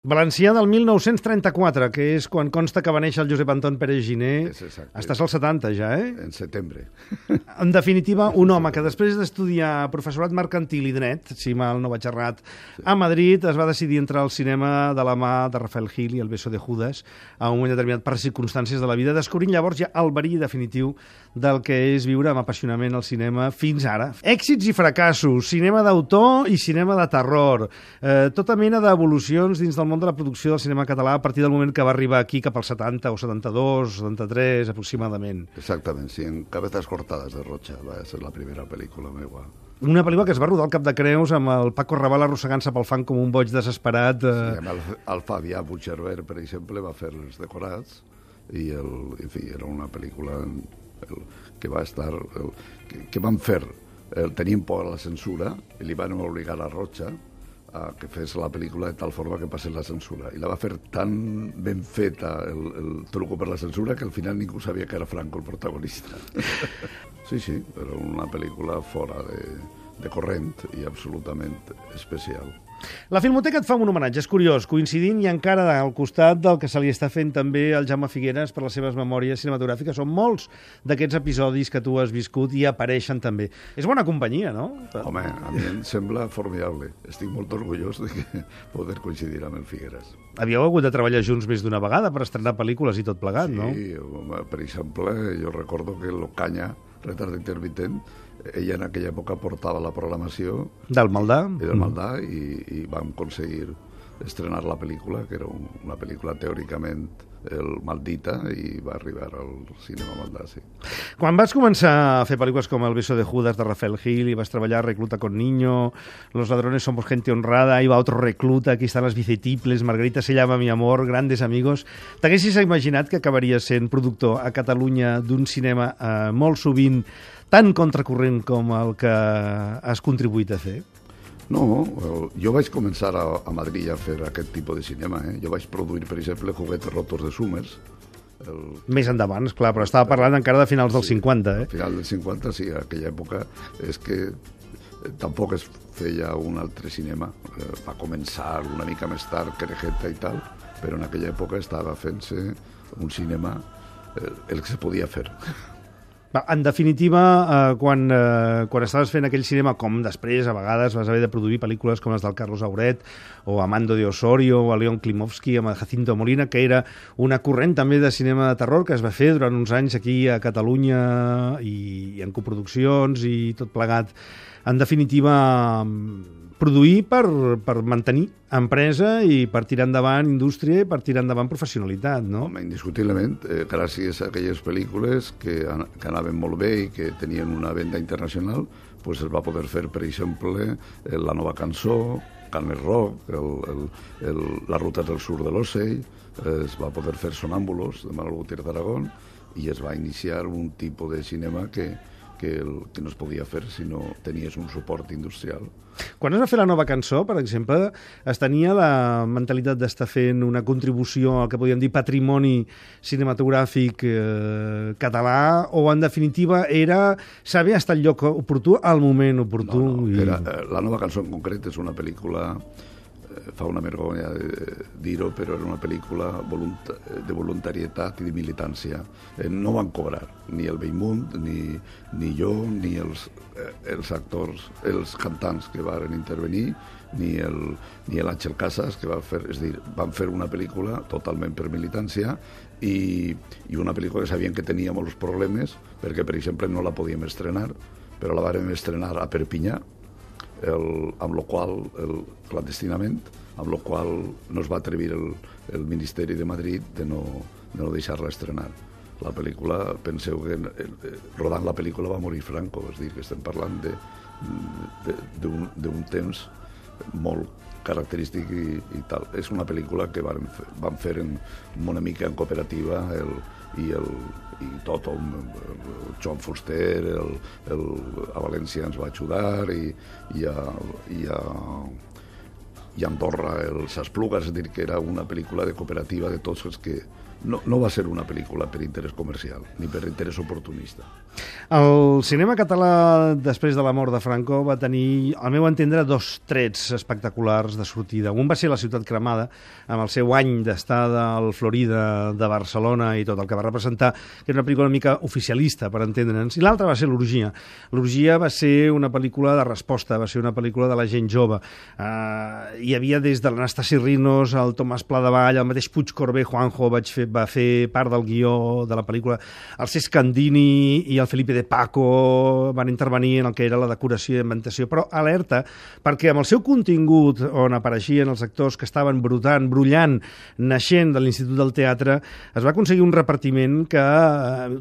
Valencià del 1934, que és quan consta que va néixer el Josep Anton Pérez Giner. Estàs als 70 ja, eh? En setembre. En definitiva, un home que després d'estudiar professorat mercantil i dret, si mal no vaig errat, a Madrid es va decidir entrar al cinema de la mà de Rafael Gil i El beso de Judas a un moment determinat per circumstàncies de la vida, descobrint llavors ja el verí definitiu del que és viure amb apassionament el cinema fins ara. Èxits i fracassos, cinema d'autor i cinema de terror, tota mena d'evolucions dins del món de la producció del cinema català a partir del moment que va arribar aquí cap als 70 o 72, 73 aproximadament. Exactament, sí, en Cabezas cortadas de Rocha va ser la primera pel·lícula meva. Una pel·lícula que es va rodar al Cap de Creus amb el Paco Raval arrossegant-se pel fang com un boig desesperat. Sí, el Fabià Puigcerver, per exemple, va fer els decorats i, en fi, era una pel·lícula que va estar... que van fer, tenien por a la censura i li van obligar a Rocha a que fes la pel·lícula de tal forma que passés la censura. I la va fer tan ben feta el truco per la censura que al final ningú sabia que era Franco el protagonista. Sí, era una pel·lícula fora de corrent i absolutament especial. La Filmoteca et fa un homenatge, és curiós, coincidint i encara al costat del que se li està fent també al Jaume Figueres per les seves memòries cinematogràfiques. Són molts d'aquests episodis que tu has viscut i apareixen també. És bona companyia, no? Home, a mi em sembla formidable. Estic molt orgullós de poder coincidir amb el Figueres. Havíeu hagut de treballar junts més d'una vegada per estrenar pel·lícules i tot plegat, no? Sí, per exemple, jo recordo que l'Ocaña, Retard intermitent, ella en aquella època portava la programació del Maldà i vam aconseguir estrenar la pel·lícula, que era una pel·lícula teòricament maldita, i va arribar al cinema Maldà, sí. Quan vas començar a fer pel·lícules com El beso de Judas de Rafael Gil i vas treballar Recluta con niño, Los ladrones somos gente honrada, Ahí va otro recluta, Aquí están las bicetiples, Margarita se llama mi amor, Grandes amigos, t'haguessis imaginat que acabaries sent productor a Catalunya d'un cinema molt sovint tan contracorrent com el que has contribuït a fer? No, jo vaig començar a Madrid a fer aquest tipus de cinema. Jo vaig produir, per exemple, Juguetes rotos de Summers. Més endavant, esclar, però estava parlant encara de finals dels 50, eh? A finals dels 50, sí, a aquella època és que tampoc es feia un altre cinema. Va començar una mica més tard, Querejeta i tal, però en aquella època estava fent-se un cinema el que se podia fer. En definitiva, quan estaves fent aquell cinema, com després a vegades vas haver de produir pel·lícules com les del Carlos Auret o Amando de Osorio o a León Klimovsky amb Jacinto Molina, que era una corrent també de cinema de terror que es va fer durant uns anys aquí a Catalunya i en coproduccions i tot plegat. En definitiva, produir per mantenir empresa i per tirar endavant indústria i per tirar endavant professionalitat, no? Home, indiscutiblement, gràcies a aquelles pel·lícules que anaven molt bé i que tenien una venda internacional, pues es va poder fer, per exemple, La nova cançó, Carmen Roc, La ruta del sur de l'Ocell, es va poder fer Sonàmbulos, de Manuel Gutiérrez d'Aragón, i es va iniciar un tipus de cinema que no es podia fer si no tenies un suport industrial. Quan es va fer La nova cançó, per exemple, es tenia la mentalitat d'estar fent una contribució al que podríem dir patrimoni cinematogràfic català, o en definitiva era saber estar al lloc oportú al moment oportú? No. La nova cançó en concret és una pel·lícula, fa una vergonya dir-ho, però era una pel·lícula de voluntarietat i de militància. No van cobrar ni el Bellmunt, ni jo, ni els actors, els cantants que van intervenir, ni l'Àngel Casas, que va fer, és a dir, van fer una pel·lícula totalment per militància i una pel·lícula que sabien que tenia molts problemes perquè, per exemple, no la podíem estrenar, però la vàrem estrenar a Perpinyà, amb lo qual, clandestinament, amb lo qual no es va atrevir el Ministeri de Madrid de no deixar-la estrenar. La pel·lícula, penseu que rodant la pel·lícula va morir Franco, és a dir, que estem parlant d'un temps molt característic i tal. És una pel·lícula que vam fer una mica en cooperativa i tot, el Joan Fuster, a València ens va ajudar i i Andorra, els Esplugas, és a dir, que era una pel·lícula de cooperativa de tots els que... No va ser una pel·lícula per interès comercial, ni per interès oportunista. El cinema català, després de la mort de Franco, va tenir, al meu entendre, dos trets espectaculars de sortida. Un va ser La ciutat cremada, amb el seu any d'estada al Florida de Barcelona i tot el que va representar, que era una pel·lícula una mica oficialista, per entendre'ns, i l'altra va ser L'orgia. L'orgia va ser una pel·lícula de resposta, va ser una pel·lícula de la gent jove. Hi havia des de l'Anastasi Rinos, el Tomàs Pladevall, el mateix Puig Corbé, Juanjo, va fer part del guió de la pel·lícula. El Cesc Candini i el Felipe de Paco van intervenir en el que era la decoració i inventació, però alerta, perquè amb el seu contingut, on apareixien els actors que estaven brullant, naixent de l'Institut del Teatre, es va aconseguir un repartiment que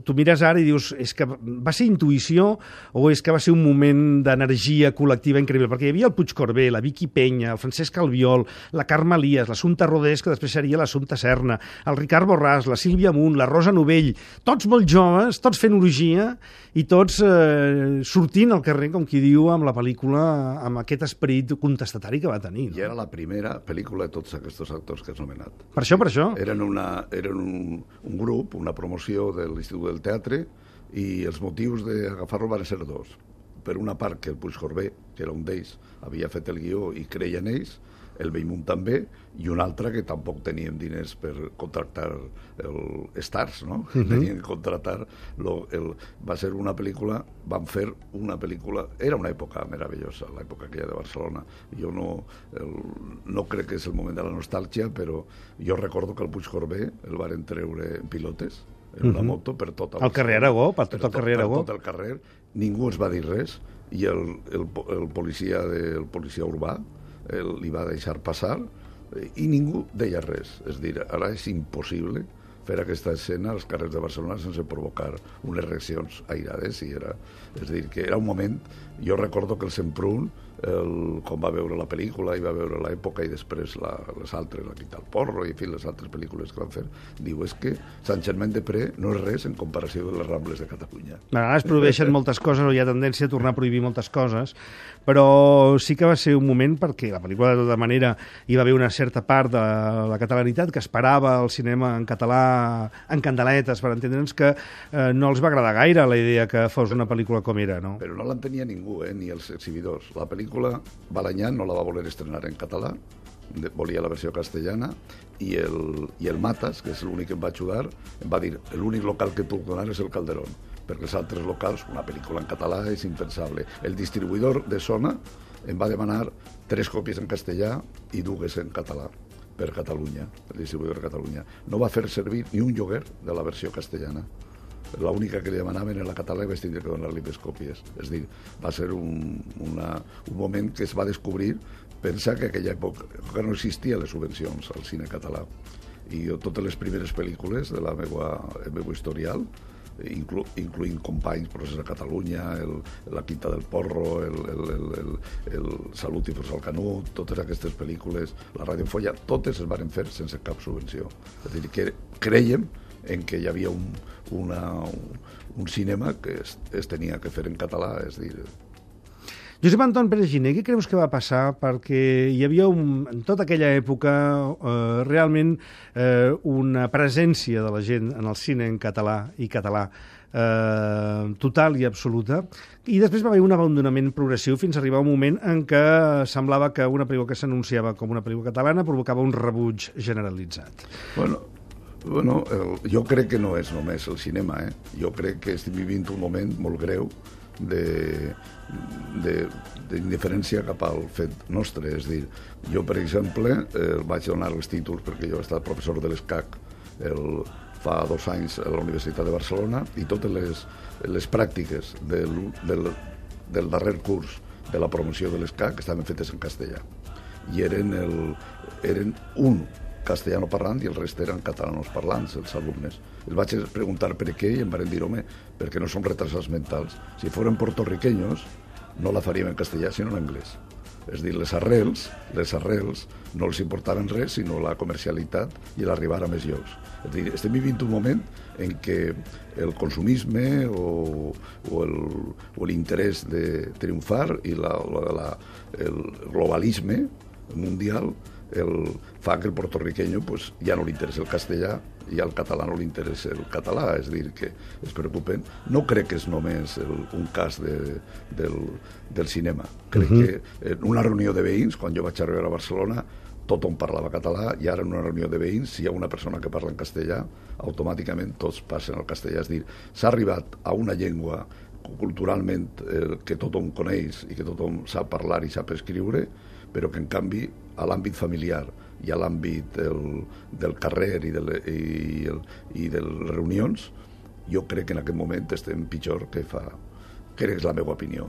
tu mires ara i dius, és que va ser intuïció o és que va ser un moment d'energia col·lectiva increïble, perquè hi havia el Puig Corbé, la Vicky Penya, el Francesc Albiol, la Carme Elias, l'Assumpta Rodés, que després seria l'Assumpta Serna, el Ricard Borràs, la Sílvia Munt, la Rosa Novell, tots molt joves, tots fent orgia i tots sortint al carrer, com qui diu, amb la pel·lícula, amb aquest esperit contestatari que va tenir. No? I era la primera pel·lícula de tots aquests actors que has nomenat. Per això. Eren un grup, una promoció de l'Institut del Teatre, i els motius d'agafar-lo van ser dos. Per una part, que el Puig Corbé, que era un d'ells, havia fet el guió i creia en ells, el Bellmunt també, i una altra que tampoc teníem diners per contractar stars, no? Tenien que contractar... Va ser una pel·lícula, van fer una pel·lícula... Era una època meravellosa, l'època aquella de Barcelona. Jo no crec que és el moment de la nostàlgia, però jo recordo que el Puig Corbé el varen treure en pilotes, en una moto, per tot el carrer Aragó, per tot el carrer Aragó. Per tot el carrer. Ningú es va dir res, i el policia urbà li va deixar passar i ningú deia res. És dir, ara és impossible fer aquesta escena als carrers de Barcelona sense provocar unes reaccions airades. És dir, que era un moment... Jo recordo que el Semprún, quan va veure la pel·lícula i va veure l'època i després les altres, la Quita el Porro i en fi, les altres pel·lícules que van fer, diu, és que Sant Germain-des-Prés no és res en comparació de les Rambles de Catalunya. A vegades prohibeixen moltes coses, o hi ha tendència a tornar a prohibir moltes coses, però sí que va ser un moment perquè la pel·lícula, de tota manera, hi va haver una certa part de la catalanitat que esperava el cinema en català en candeletes, per entendre'ns, que no els va agradar gaire la idea que fos una pel·lícula com era, no? Però no l'entenia ningú, ni els exhibidors. La pel·lícula Balañán no la va voler estrenar en català, volia la versió castellana, i el Matas, que és l'únic que em va ajudar, em va dir, l'únic local que puc donar és el Calderón, perquè els altres locals, una pel·lícula en català és impensable. El distribuïdor de Sona em va demanar 3 còpies en castellà i 2 en català per Catalunya, el distribuïdor de Catalunya. No va fer servir ni un lloguer de la versió castellana. L'única que li demanaven era la català i vaig tindre que donar-li 2 còpies. És dir, va ser un moment que es va descobrir. Pensa que aquella època no existien les subvencions al cine català. I jo, totes les primeres pel·lícules de la meva historial, incloent Companys, Procés a Catalunya, La Quinta del Porro, el Salut i Força al Canut, totes aquestes pel·lícules, la Radiofolla, totes es van fer sense cap subvenció. És a dir, que creiem en que hi havia un cinema que es tenia que fer en català, és dir... Josep Anton Pérez Giner, què creus que va passar? Perquè hi havia, en tota aquella època, realment una presència de la gent en el cine en català i català total i absoluta, i després va haver un abandonament progressiu fins a arribar a un moment en què semblava que una pel·lícula que s'anunciava com una pel·lícula catalana provocava un rebuig generalitzat. Bueno, jo crec que no és només el cinema, Jo crec que estem vivint un moment molt greu d'indiferència cap al fet nostre. És dir, jo, per exemple, vaig donar els títols perquè jo he estat professor de l'ESCAC fa 2 anys a la Universitat de Barcelona, i totes les pràctiques del darrer curs de la promoció de l'ESCAC estaven fetes en castellà. I eren un castellano parlant i el rest eren catalanos parlants, els alumnes. Els vaig preguntar per què i em van dir, home, perquè no som retrasats mentals. Si foren puertorriqueños, no la faríem en castellà, sinó en anglès. És dir, les arrels no els importaven res, sinó la comercialitat i l'arribar a més llocs. És dir, estem vivint un moment en què el consumisme o l'interès de triomfar i el globalisme mundial fa que el puertorriqueño pues, ja no li interessa el castellà i al català no li interessa el català, és a dir, que es preocupen. No crec que és només un cas del cinema. Crec que en una reunió de veïns, quan jo vaig arribar a Barcelona, tothom parlava català i ara en una reunió de veïns, si hi ha una persona que parla en castellà, automàticament tots passen al castellà. És a dir, s'ha arribat a una llengua culturalment que tothom coneix i que tothom sap parlar i sap escriure, però que en canvi a l'àmbit familiar i a l'àmbit del carrer i de les reunions, jo crec que en aquest moment estem pitjor que fa... Crec que és la meva opinió,